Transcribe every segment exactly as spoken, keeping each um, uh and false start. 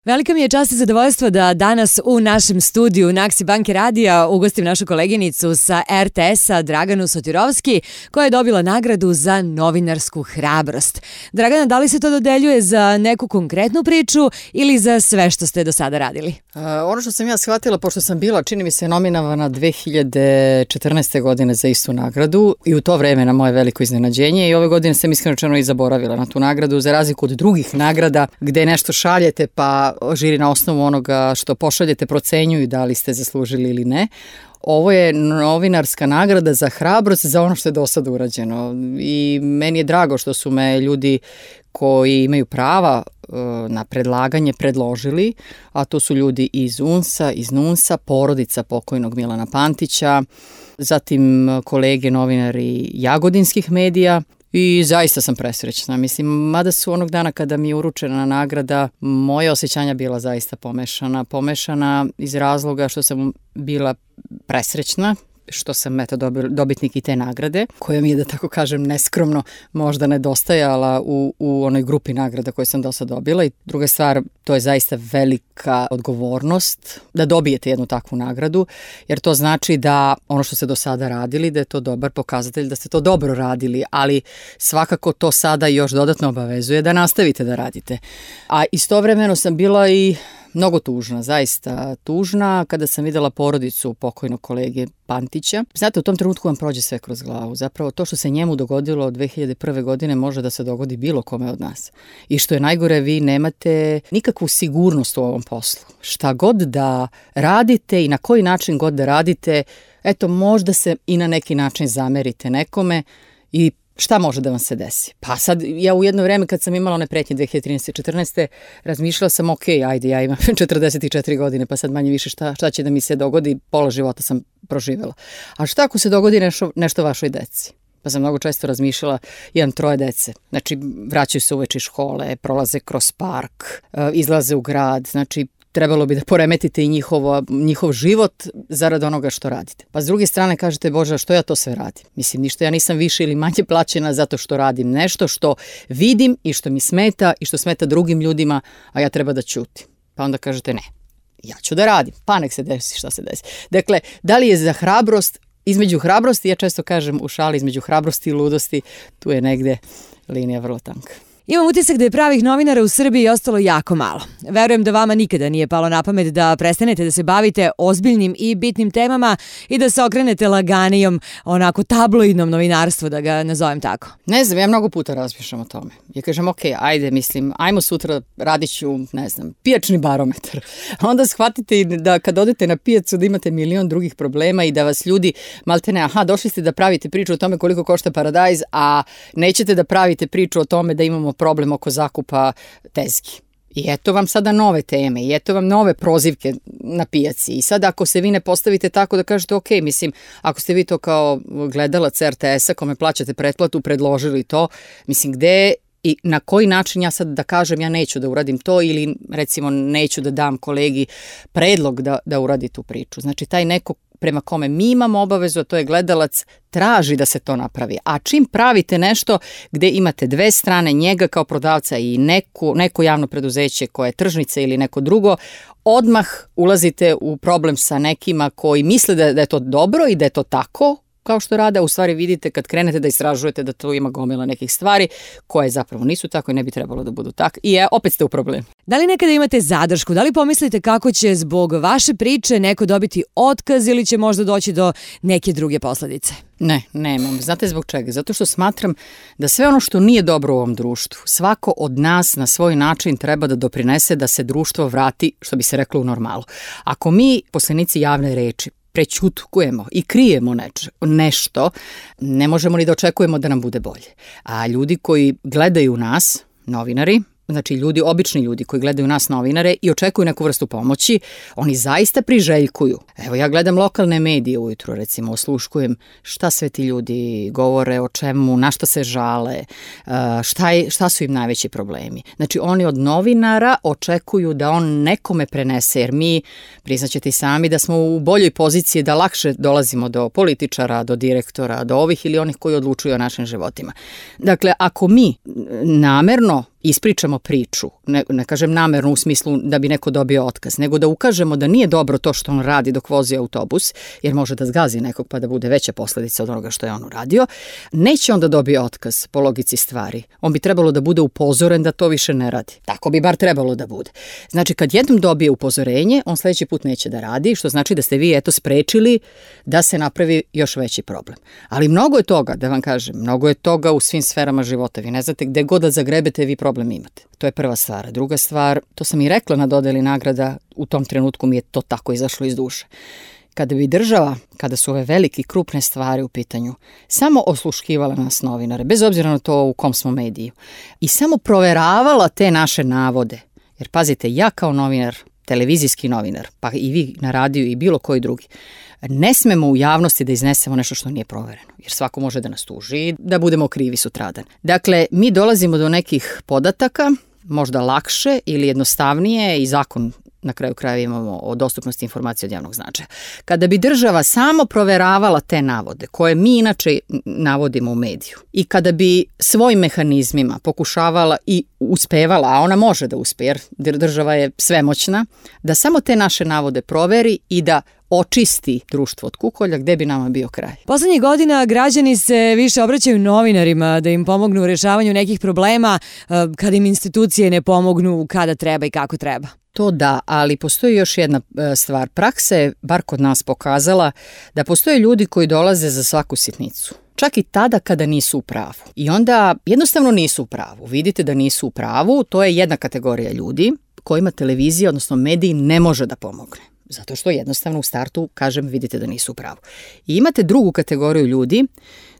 Velika mi je čast i zadovoljstvo da danas u našem studiju Naksi Banke Radija ugostim našu koleginicu sa er te esa Draganu Sotirovski, koja je dobila nagradu za novinarsku hrabrost. Dragana, da li se to dodeljuje za neku konkretnu priču ili za sve što ste do sada radili? Uh, ono što sam ja shvatila, pošto sam bila, čini mi se, nominovana dve hiljade četrnaeste. godine za istu nagradu i u to vreme na moje veliko iznenađenje, i ove godine sam iskreno rečeno i zaboravila na tu nagradu, za razliku od drugih nagrada gde nešto šaljete pa žiri na osnovu onoga što pošaljete procenjuju da li ste zaslužili ili ne. Ovo je novinarska nagrada za hrabrost za ono što je do sada urađeno i meni je drago što su me ljudi koji imaju prava na predlaganje predložili, a to su ljudi iz U N S-a, iz N U N S-a, porodica pokojnog Milana Pantića, zatim kolege novinari jagodinskih medija. I zaista sam presrećna. Mislim, mada su onog dana kada mi je uručena nagrada, moje osjećanja bila zaista pomešana. Pomešana iz razloga što sam bila presrećna, što sam eto dobitnik i te nagrade, koja mi je, da tako kažem, neskromno možda nedostajala u, u onoj grupi nagrada koje sam do sada dobila. I druga stvar, to je zaista velika odgovornost da dobijete jednu takvu nagradu, jer to znači da ono što ste do sada radili, da je to dobar pokazatelj da ste to dobro radili, ali svakako to sada još dodatno obavezuje da nastavite da radite. A istovremeno sam bila i mnogo tužna, zaista tužna kada sam videla porodicu pokojnog kolege Pantića. Znate, u tom trenutku vam prođe sve kroz glavu. Zapravo to što se njemu dogodilo od dve hiljade prve. godine može da se dogodi bilo kome od nas. I što je najgore, vi nemate nikakvu sigurnost u ovom poslu. Šta god da radite i na koji način god da radite, eto, možda se i na neki način zamerite nekome i šta može da vam se desi? Pa sad, ja u jedno vreme kad sam imala one pretnje dve hiljade trinaeste. četrnaeste. razmišljala sam, ok, ajde, ja imam četrdeset četiri godine, pa sad manje više šta, šta će da mi se dogodi, pola života sam proživjela. A šta ako se dogodi nešto, nešto vašoj deci? Pa sam mnogo često razmišljala, imam troje dece, znači vraćaju se uveče iz škole, prolaze kroz park, izlaze u grad, znači trebalo bi da poremetite i njihovo, njihov život zarad onoga što radite. Pa s druge strane kažete, Bože, što ja to sve radim? Mislim, ništa, ja nisam više ili manje plaćena zato što radim nešto što vidim i što mi smeta i što smeta drugim ljudima, a ja treba da ćutim. Pa onda kažete, ne, ja ću da radim, pa nek se desi šta se desi. Dakle, da li je za hrabrost, između hrabrosti, ja često kažem u šali, između hrabrosti i ludosti, tu je negde linija vrlo tanka. Imam utisak da je pravih novinara u Srbiji ostalo jako malo. Verujem da vama nikada nije palo na pamet da prestanete da se bavite ozbiljnim i bitnim temama i da se okrenete laganijom, onako tabloidnom novinarstvu, da ga nazovem tako. Ne znam, ja mnogo puta razmišljam o tome. Ja kažem, ok, ajde, mislim, ajmo sutra radit ću, ne znam, pijačni barometar. Onda shvatite da kad odete na pijacu da imate milion drugih problema i da vas ljudi maltene, aha, došli ste da pravite priču o tome koliko košta paradajz, a nećete da pravite priču o tome da imamo problem oko zakupa tezgi. I eto vam sada nove teme i eto vam nove prozivke na pijaci. I sad ako se vi ne postavite tako da kažete, ok, mislim, ako ste vi to kao gledalac er te esa kome plaćate pretplatu predložili to, mislim, gde i na koji način ja sad da kažem ja neću da uradim to ili recimo neću da dam kolegi predlog da, da uradi tu priču. Znači taj neko prema kome mi imamo obavezu, a to je gledalac, traži da se to napravi. A čim pravite nešto gde imate dve strane, njega kao prodavca i neko, neko javno preduzeće koje je tržnica ili neko drugo, odmah ulazite u problem sa nekima koji misle da, da je to dobro i da je to tako, kao što rade, a u stvari vidite kad krenete da istražujete da tu ima gomila nekih stvari koje zapravo nisu tako i ne bi trebalo da budu tako. I je, opet ste u problemu. Da li nekada imate zadršku? Da li pomislite kako će zbog vaše priče neko dobiti otkaz ili će možda doći do neke druge posledice? Ne, nemam. Znate zbog čega? Zato što smatram da sve ono što nije dobro u ovom društvu, svako od nas na svoj način treba da doprinese da se društvo vrati, što bi se reklo, u normalu. Ako mi, poslenici javne reči, prećutkujemo i krijemo neč, nešto, ne možemo ni da očekujemo da nam bude bolje. A ljudi koji gledaju nas, novinari, znači ljudi, obični ljudi koji gledaju nas novinare i očekuju neku vrstu pomoći, oni zaista priželjkuju. Evo, ja gledam lokalne medije ujutro, recimo, osluškujem šta sve ti ljudi govore, o čemu, na šta se žale, šta, je, šta su im najveći problemi. Znači, oni od novinara očekuju da on nekome prenese, jer mi, priznaćete i sami, da smo u boljoj poziciji da lakše dolazimo do političara, do direktora, do ovih ili onih koji odlučuju o našim životima. Dakle, ako mi namerno ispričamo priču, ne, ne kažem namerno u smislu da bi neko dobio otkaz, nego da ukažemo da nije dobro to što on radi dok vozi autobus, jer može da zgazi nekog pa da bude veća posledica od onoga što je on uradio, neće onda dobije otkaz po logici stvari. On bi trebalo da bude upozoren da to više ne radi. Tako bi bar trebalo da bude. Znači, kad jednom dobije upozorenje, on sledeći put neće da radi, što znači da ste vi eto sprečili da se napravi još veći problem. Ali mnogo je toga, da vam kažem, mnogo je toga u svim sferama života. Vi ne znate gde god da zagrebete, vi problem imate. To je prva stvar. Druga stvar, to sam i rekla na dodeli nagrada, u tom trenutku mi je to tako izašlo iz duše. Kada bi država, kada su ove velike krupne stvari u pitanju, samo osluškivala nas novinare, bez obzira na to u kom smo mediju, i samo proveravala te naše navode, jer pazite, ja kao novinar, televizijski novinar, pa i vi na radiju i bilo koji drugi, ne smemo u javnosti da iznesemo nešto što nije provereno, jer svako može da nas tuži, da budemo krivi sutradan. Dakle, mi dolazimo do nekih podataka, možda lakše ili jednostavnije, i zakon na kraju krajeva imamo o dostupnosti informacija od javnog značaja. Kada bi država samo proveravala te navode, koje mi inače navodimo u mediju, i kada bi svojim mehanizmima pokušavala i uspevala, a ona može da uspe, jer država je svemoćna, da samo te naše navode proveri i da očisti društvo od kukolja, gde bi nama bio kraj. Poslednjih godina građani se više obraćaju novinarima da im pomognu u rešavanju nekih problema kada im institucije ne pomognu kada treba i kako treba. To da, ali postoji još jedna stvar. Praksa je, bar kod nas, pokazala da postoje ljudi koji dolaze za svaku sitnicu. Čak i tada kada nisu u pravu. I onda jednostavno nisu u pravu. Vidite da nisu u pravu, to je jedna kategorija ljudi kojima televizija, odnosno mediji, ne može da pomogne. Zato što jednostavno u startu, kažem, vidite da nisu u pravu. I imate drugu kategoriju ljudi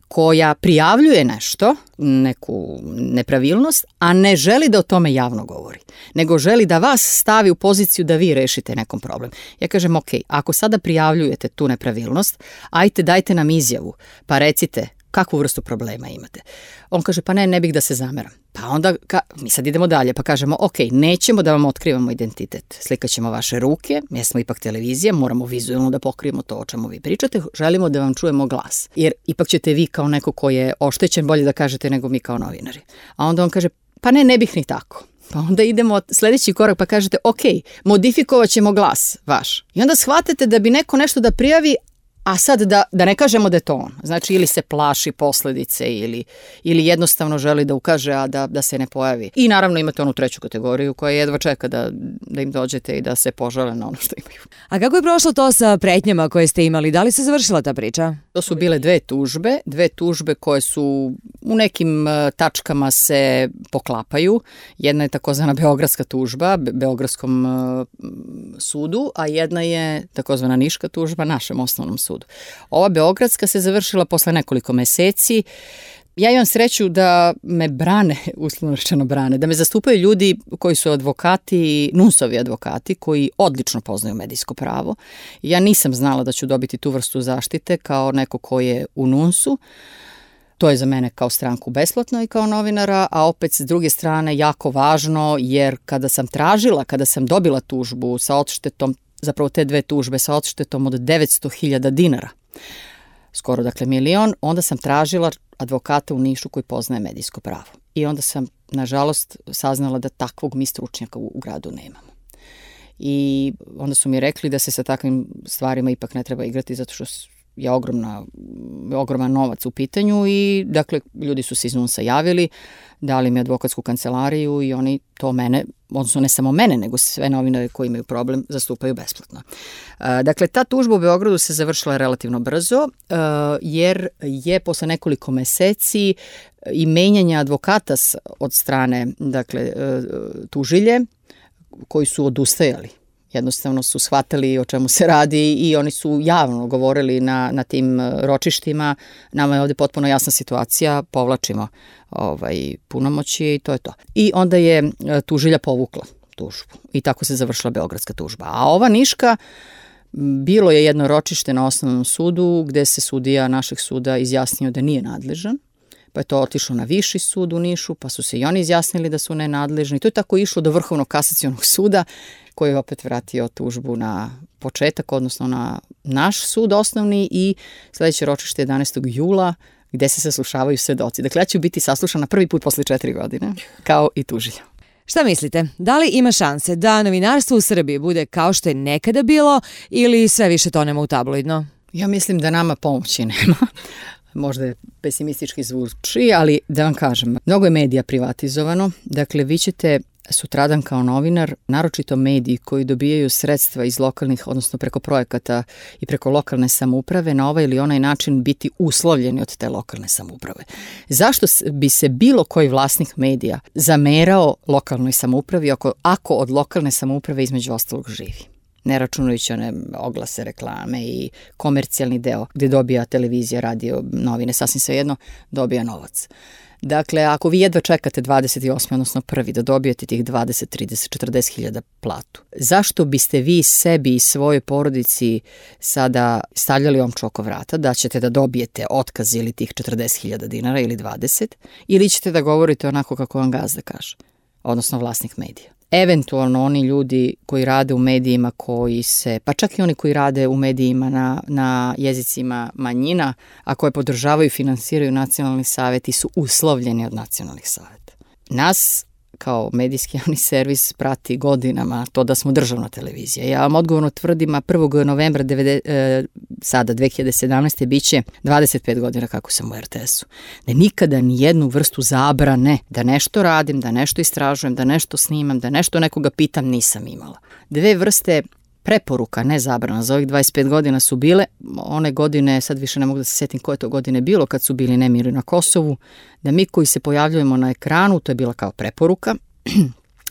koja prijavljuje nešto, neku nepravilnost, a ne želi da o tome javno govori, nego želi da vas stavi u poziciju da vi rešite nekom problem. Ja kažem, ok, ako sada prijavljujete tu nepravilnost, ajte dajte nam izjavu, pa recite kakvu vrstu problema imate. On kaže, pa ne, ne bih da se zameram. Pa onda, ka, mi sad idemo dalje, pa kažemo, ok, nećemo da vam otkrivamo identitet. Slikaćemo ćemo vaše ruke, mi smo ipak televizija, moramo vizualno da pokrijemo to o čemu vi pričate, želimo da vam čujemo glas. Jer ipak ćete vi kao neko ko je oštećen bolje da kažete nego mi kao novinari. A onda on kaže, pa ne, ne bih ni tako. Pa onda idemo sledeći korak pa kažete, ok, modifikovat ćemo glas vaš. I onda shvatite da bi neko nešto da prijavi, a sad da, da ne kažemo da je to on. Znači, ili se plaši posledice ili, ili jednostavno želi da ukaže, a da, da se ne pojavi. I naravno imate onu treću kategoriju koja jedva čeka da, da im dođete i da se požale na ono što imaju. A kako je prošlo to sa pretnjama koje ste imali? Da li se završila ta priča? To su bile dve tužbe, dve tužbe koje su u nekim tačkama se poklapaju. Jedna je takozvana beogradska tužba, Be- Beogradskom uh, sudu, a jedna je takozvana niška tužba našem osnovnom sudu. Ova beogradska se završila posle nekoliko meseci. Ja imam sreću da me brane, uslovno rečeno brane, da me zastupaju ljudi koji su advokati, NUNS-ovi advokati, koji odlično poznaju medijsko pravo. Ja nisam znala da ću dobiti tu vrstu zaštite kao neko ko je u NUNS-u. To je za mene kao stranku besplatno i kao novinara, a opet s druge strane jako važno, jer kada sam tražila, kada sam dobila tužbu sa odštetom, zapravo te dve tužbe sa odštetom od devetsto hiljada dinara, skoro dakle milion, onda sam tražila advokata u Nišu koji poznaje medijsko pravo. I onda sam, nažalost, saznala da takvog mi stručnjaka u, u gradu nemamo. I onda su mi rekli da se sa takvim stvarima ipak ne treba igrati zato što je ogromna, ogroman novac u pitanju i dakle ljudi su se iz NUNS-a javili, dali mi advokatsku kancelariju i oni to mene, odnosno ne samo mene, nego sve novinare koji imaju problem zastupaju besplatno. Dakle, ta tužba u Beogradu se završila relativno brzo, jer je posle nekoliko meseci i menjanja advokata od strane, dakle, tužilje, koji su odustajali. Jednostavno su shvatili o čemu se radi i oni su javno govorili na, na tim ročištima. Nama je ovde potpuno jasna situacija, povlačimo ovaj, punomoći i to je to. I onda je tužilja povukla tužbu i tako se završila beogradska tužba. A ova niška, bilo je jedno ročište na osnovnom sudu gde se sudija našeg suda izjasnio da nije nadležan. Pa je to otišlo na viši sud u Nišu, pa su se i oni izjasnili da su nenadležni. To je tako išlo do Vrhovnog kasacionog suda, koji je opet vratio tužbu na početak, odnosno na naš sud osnovni i sledeće ročište jedanaestog jula, gde se saslušavaju svedoci. Dakle, ja ću biti saslušana prvi put posle četiri godine, kao i tužilja. Šta mislite, da li ima šanse da novinarstvo u Srbiji bude kao što je nekada bilo ili sve više tonemo u tabloidno? Ja mislim da nama pomoći nema. Možda je pesimistički zvuči, ali da vam kažem, mnogo je medija privatizovano. Dakle, vi ćete sutradan kao novinar, naročito mediji koji dobijaju sredstva iz lokalnih, odnosno preko projekata i preko lokalne samouprave, na ovaj ili onaj način biti uslovljeni od te lokalne samouprave. Zašto bi se bilo koji vlasnik medija zamerao lokalnoj samoupravi ako, ako od lokalne samouprave između ostalog živi? Ne računajući one oglase, reklame i komercijalni deo gdje dobija televizija, radio, novine, sasvim svejedno, dobija novac. Dakle, ako vi jedva čekate dvadeset osmi odnosno prvi da dobijete tih dvadeset, trideset, četrdeset hiljada platu, zašto biste vi sebi i svojoj porodici sada stavljali omču oko vrata da ćete da dobijete otkaz ili tih četrdeset hiljada dinara ili dvadeset, ili ćete da govorite onako kako vam gazda kaže, odnosno vlasnik medija? Eventualno oni ljudi koji rade u medijima koji se, pa čak i oni koji rade u medijima na, na jezicima manjina, a koje podržavaju i finansiraju nacionalni saveti su uslovljeni od nacionalnih saveta. Nas kao medijski javni servis prati godinama to da smo državna televizija. Ja vam odgovorno tvrdim, a prvog novembra devedeset, e, sada dve hiljade sedamnaeste biće dvadeset pet godina kako sam u er te esu. Da nikada ni jednu vrstu zabrane da nešto radim, da nešto istražujem, da nešto snimam, da nešto nekoga pitam nisam imala. Dve vrste preporuka, ne zabrana, za ovih dvadeset pet godina su bile, one godine, sad više ne mogu da se setim koje to godine bilo, kad su bili nemiri na Kosovu, da mi koji se pojavljujemo na ekranu, to je bila kao preporuka,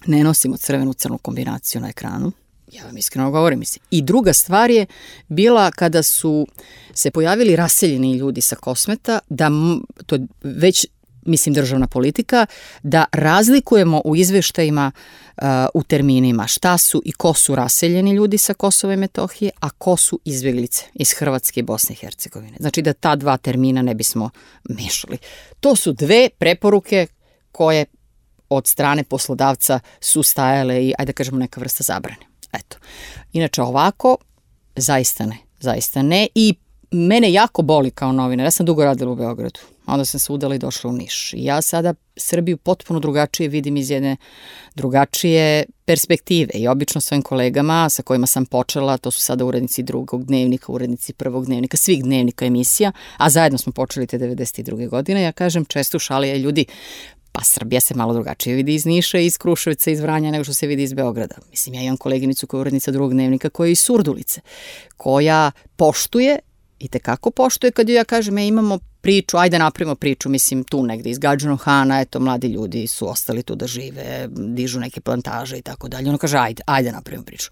ne nosimo crvenu crnu kombinaciju na ekranu, ja vam iskreno govorim, mislim. I druga stvar je bila kada su se pojavili raseljeni ljudi sa Kosmeta, da to je već, mislim, državna politika, da razlikujemo u izveštajima uh, u terminima šta su i ko su raseljeni ljudi sa Kosova i Metohije, a ko su izbjeglice iz Hrvatske i Bosne i Hercegovine. Znači da ta dva termina ne bismo mešali. To su dve preporuke koje od strane poslodavca su stajale i, ajde da kažemo, neka vrsta zabrane. Eto. Inače ovako, zaista ne. Zaista ne. I mene jako boli kao novinar. Ja sam dugo radila u Beogradu. Onda sam se udala i došla u Niš. I ja sada Srbiju potpuno drugačije vidim iz jedne drugačije perspektive. I obično svojim kolegama sa kojima sam počela, to su sada urednici drugog dnevnika, urednici prvog dnevnika, svih dnevnika emisija, a zajedno smo počeli te devedeset druge godine. Ja kažem često u šali, je ljudi, pa Srbija se malo drugačije vidi iz Niša, iz Kruševca, iz Vranja nego što se vidi iz Beograda. Mislim, ja imam koleginicu koja je urednica drugog dnevnika koja je iz Surdulice, koja poštuje i tekako poštuje kad ja kažem, ja imamo priču, ajde napravimo priču, mislim tu negde iz Gadžinog Hana, eto mladi ljudi su ostali tu da žive, dižu neke plantaže i tako dalje. Ono kaže, ajde, ajde napravimo priču.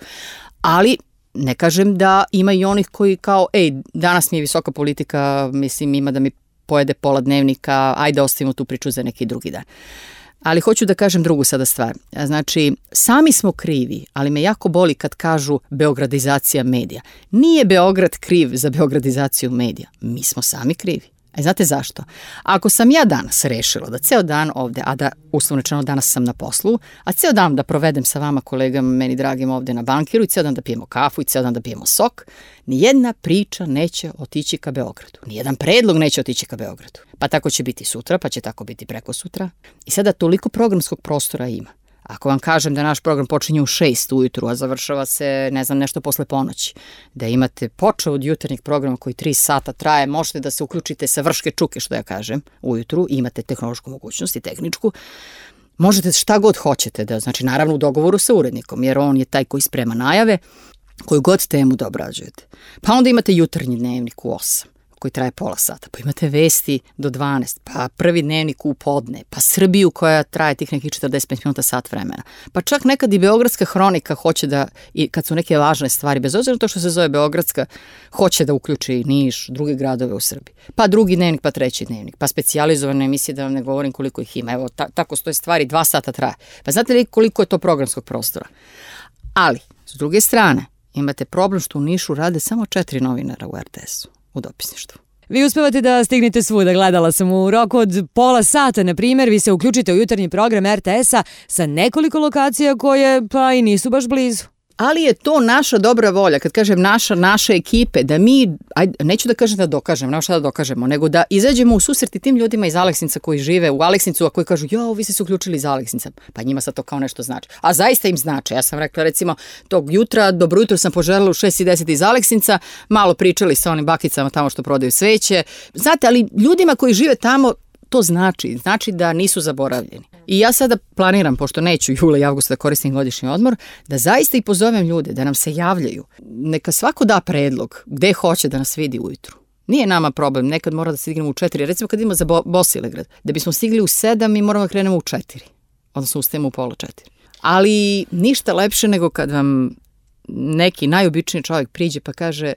Ali ne kažem da ima i onih koji kao, ej, danas mi je visoka politika, mislim ima da mi pojede pola dnevnika, ajde ostavimo tu priču za neki drugi dan. Ali hoću da kažem drugu sada stvar. Znači, sami smo krivi, ali me jako boli kad kažu beogradizacija medija. Nije Beograd kriv za beogradizaciju medija. Mi smo sami krivi. A znate zašto? Ako sam ja danas rešila da ceo dan ovde, a da uslovno rečeno danas sam na poslu, a ceo dan da provedem sa vama kolegama, meni dragim ovde na bankiru i ceo dan da pijemo kafu i ceo dan da pijemo sok, nijedna priča neće otići ka Beogradu. Nijedan predlog neće otići ka Beogradu. Pa tako će biti sutra, pa će tako biti preko sutra. I sada toliko programskog prostora ima. Ako vam kažem da naš program počinje u šest ujutru, a završava se, ne znam, nešto posle ponoći, da imate počeo od jutarnjeg programa koji tri sata traje, možete da se uključite sa vrške čuke, što ja kažem, ujutru, imate tehnološku mogućnost i tehničku, možete šta god hoćete, da, znači naravno u dogovoru sa urednikom, jer on je taj koji sprema najave, koju god temu da obrađujete. Pa onda imate jutarnji dnevnik u osam. Koji traje pola sata, pa imate vesti do dvanaest, pa prvi dnevnik u podne, pa Srbiju koja traje tih nekih četrdeset pet minuta, sat vremena. Pa čak nekad i Beogradska hronika hoće da, i kad su neke važne stvari, bez obzira na to što se zove Beogradska, hoće da uključi Niš, druge gradove u Srbiji. Pa drugi dnevnik, pa treći dnevnik, pa specijalizovane emisije, da vam ne govorim koliko ih ima. Evo, ta, tako stoje stvari, dva sata traje. Pa znate li koliko je to programskog prostora? Ali, s druge strane, imate problem što u Nišu rade samo četiri novinara u er te esu. U dopisništvu. Vi uspevate da stignete svuda, gledala sam u roku od pola sata, na primjer, vi se uključite u jutarnji program er te esa sa nekoliko lokacija koje pa i nisu baš blizu. ali je to naša dobra volja, kad kažem naša, naše ekipe, da mi, ajde, neću da kažem da dokažem, nema šta da dokažemo, nego da izađemo u susret i tim ljudima iz Aleksinca koji žive u Aleksincu, a koji kažu, jo, vi ste se uključili iz Aleksinca, pa njima sad to kao nešto znači. A zaista im znači. Ja sam rekla, recimo, tog jutra, dobro jutro sam poželjela u šest i deset iz Aleksinca, malo pričali sa onim bakicama tamo što prodaju sveće. Znate, ali ljudima koji žive tamo, to znači, znači da nisu zaboravljeni. I ja sada planiram, pošto neću jula i avgusta da koristim godišnji odmor, da zaista i pozovem ljude, da nam se javljaju. Neka svako da predlog gde hoće da nas vidi ujutru. Nije nama problem, nekad mora da stignemo u četiri. Recimo kad idemo za Bo- Bosilegrad, da bismo stigli u sedam, mi moramo da krenemo u četiri. Odnosno ustajemo u pola četiri. Ali ništa lepše nego kad vam neki najobičniji čovjek priđe pa kaže,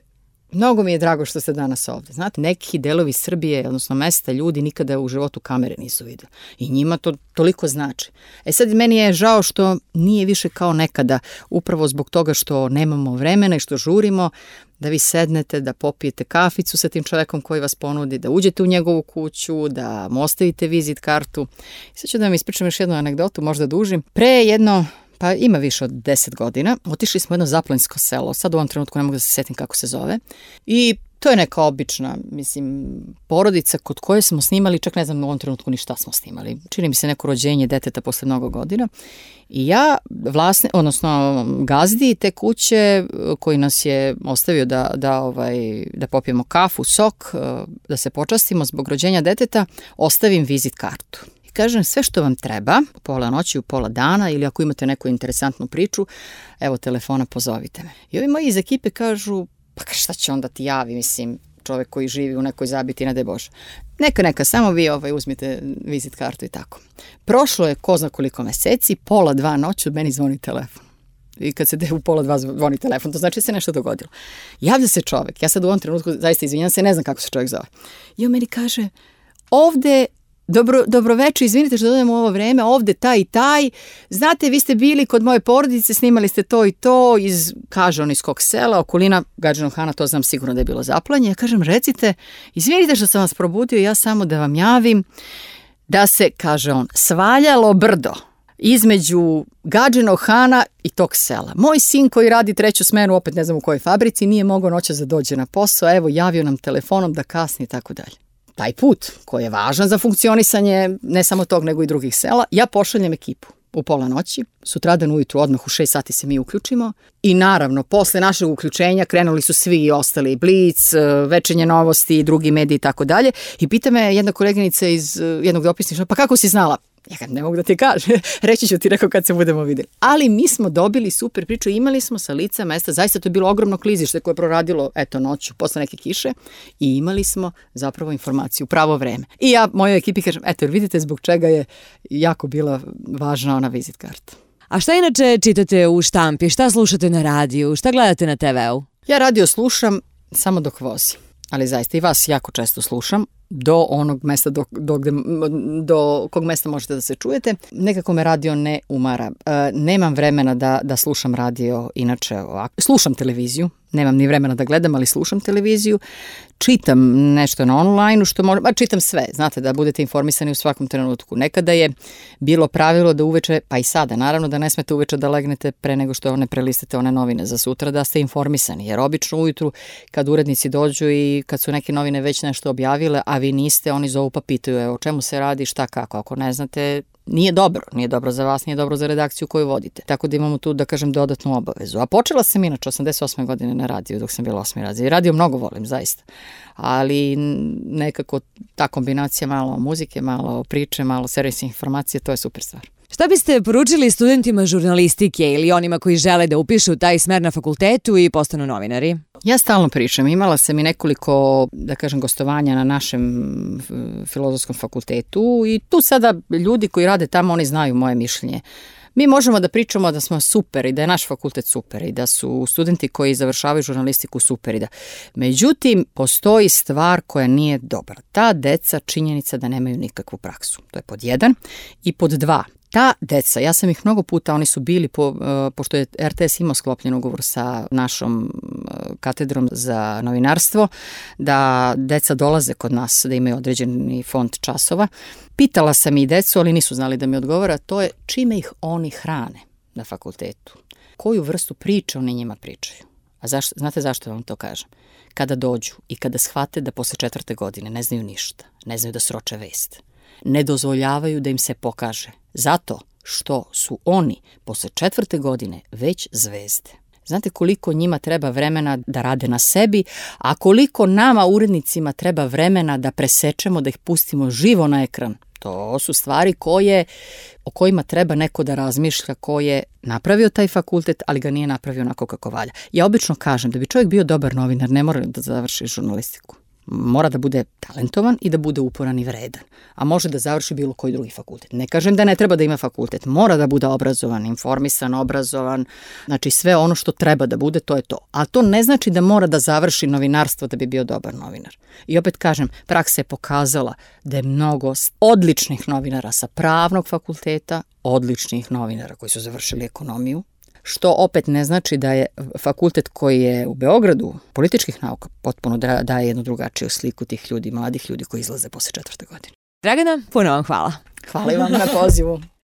mnogo mi je drago što ste danas ovde. Znate, neki delovi Srbije, odnosno mesta, ljudi nikada u životu kamere nisu videli. I njima to toliko znači. E sad, meni je žao što nije više kao nekada, upravo zbog toga što nemamo vremena i što žurimo, da vi sednete, da popijete kaficu sa tim čovekom koji vas ponudi, da uđete u njegovu kuću, da mu ostavite vizit kartu. I sad ću da vam ispričam još jednu anegdotu, možda dužim. Pre jedno pa ima više od deset godina, otišli smo u jedno zaplanjsko selo, sad u ovom trenutku ne mogu da se setim kako se zove, i to je neka obična, mislim, porodica kod koje smo snimali, čak ne znam u ovom trenutku ni šta smo snimali, čini mi se neko rođenje deteta posle mnogo godina, i ja, vlasne, odnosno gazdi te kuće koji nas je ostavio da, da, ovaj, da popijemo kafu, sok, da se počastimo zbog rođenja deteta, ostavim vizit kartu. Kažem, sve što vam treba, u pola noći, u pola dana, ili ako imate neku interesantnu priču, evo telefona, pozovite me. I ovi moji iz ekipe kažu, pa šta će onda ti javi, mislim, čovek koji živi u nekoj zabiti, ne daj Bože. Neka, neka, samo vi ovaj, uzmite vizit kartu i tako. Prošlo je ko zna koliko meseci, pola dva noću, meni zvoni telefon. I kad se de u pola dva zvoni telefon, to znači da se nešto dogodilo. Javlja se čovek, ja sad u ovom trenutku zaista izvinjam se, ne znam kako se čovek zove. I on meni kaže, ovde Dobro, dobroveče, izvinite što dodajemo u ovo vreme, ovde taj i taj, znate, vi ste bili kod moje porodice, snimali ste to i to, iz, kaže on iz kog sela, okolina Gadžinog Hana, to znam sigurno da je bilo zaplanje. Ja kažem, recite, izvinite što sam vas probudio, ja samo da vam javim da se, kaže on, svaljalo brdo između Gadžinog Hana i tog sela. Moj sin koji radi treću smenu, opet ne znam u kojoj fabrici, nije mogao noćas da dođe na posao, evo, javio nam telefonom da kasni i tako dalje. Taj put koji je važan za funkcionisanje ne samo tog nego i drugih sela, ja pošaljem ekipu u pola noći, sutradan ujutru odmah u šest sati se mi uključimo i naravno posle našeg uključenja krenuli su svi i ostali, Blic, Večernje novosti, drugi mediji i tako dalje, i pita me jedna koleginica iz jednog dopisništva, pa kako si znala? Ja kad ne mogu da ti kažem, reći ću ti, rekao, kad se budemo vidjeli. Ali mi smo dobili super priču, imali smo sa lica mesta, zaista to je bilo ogromno klizište koje je proradilo, eto, noću, posle neke kiše, i imali smo zapravo informaciju u pravo vreme. I ja mojoj ekipi kažem, eto, jer vidite zbog čega je jako bila važna ona vizit karta. A šta inače čitate u štampi, šta slušate na radiju, šta gledate na te veu? Ja radio slušam samo dok vozim, ali zaista i vas jako često slušam, do onog mesta do, do, do kog mesta možete da se čujete. Nekako me radio ne umara. E, nemam vremena da, da slušam radio, inače ovako. Slušam televiziju, nemam ni vremena da gledam, ali slušam televiziju. Čitam nešto na online-u, što možem, a čitam sve, znate, da budete informisani u svakom trenutku. Nekada je bilo pravilo da uveče, pa i sada, naravno da ne smete uveče da legnete pre nego što one prelistate one novine za sutra, da ste informisani, jer obično ujutru kad urednici dođu i kad su neke novine već nešto objavile, a vi niste, oni zovu pa pitaju o čemu se radi, šta kako, ako ne znate, nije dobro, nije dobro za vas, nije dobro za redakciju koju vodite. Tako da imamo tu, da kažem, dodatnu obavezu. A počela sam inače osamdeset osme godine na radiju, dok sam bila osmi razred. Radio mnogo volim, zaista. Ali nekako ta kombinacija malo muzike, malo priče, malo servisne informacije, to je super stvar. Šta biste poručili studentima žurnalistike ili onima koji žele da upišu taj smer na fakultetu i postanu novinari? Ja stalno pričam, imala sam i nekoliko, da kažem, gostovanja na našem filozofskom fakultetu i tu sada ljudi koji rade tamo, oni znaju moje mišljenje. Mi možemo da pričamo da smo super i da je naš fakultet super i da su studenti koji završavaju žurnalistiku super i da... Međutim, postoji stvar koja nije dobra. Ta deca, činjenica da nemaju nikakvu praksu. To je pod jedan. I pod dva, ta deca, ja sam ih mnogo puta, oni su bili, po, pošto je er te es imao sklopljen ugovor sa našom katedrom za novinarstvo, da deca dolaze kod nas, da imaju određeni fond časova. Pitala sam i decu, ali nisu znali da mi odgovara, to je čime ih oni hrane na fakultetu. koju vrstu priče oni njima pričaju. A zašto, znate zašto vam to kažem? Kada dođu i kada shvate da posle četvrte godine ne znaju ništa, ne znaju da sroče vest, ne dozvoljavaju da im se pokaže, zato što su oni posle četvrte godine već zvezde. Znate koliko njima treba vremena da rade na sebi, a koliko nama urednicima treba vremena da presečemo, da ih pustimo živo na ekran. To su stvari koje, o kojima treba neko da razmišlja, ko je napravio taj fakultet, ali ga nije napravio onako kako valja. Ja obično kažem da bi čovjek bio dobar novinar, ne mora da završi žurnalistiku. Mora da bude talentovan i da bude uporan i vredan. A može da završi bilo koji drugi fakultet. Ne kažem da ne treba da ima fakultet. Mora da bude obrazovan, informisan, obrazovan. Znači sve ono što treba da bude, to je to. A to ne znači da mora da završi novinarstvo da bi bio dobar novinar. I opet kažem, praksa je pokazala da je mnogo odličnih novinara sa pravnog fakulteta, odličnih novinara koji su završili ekonomiju, što opet ne znači da je fakultet koji je u Beogradu političkih nauka potpuno da, daje jednu drugačiju sliku tih ljudi, mladih ljudi koji izlaze posle četvrte godine. Dragana, puno vam hvala. Hvala i vam na pozivu.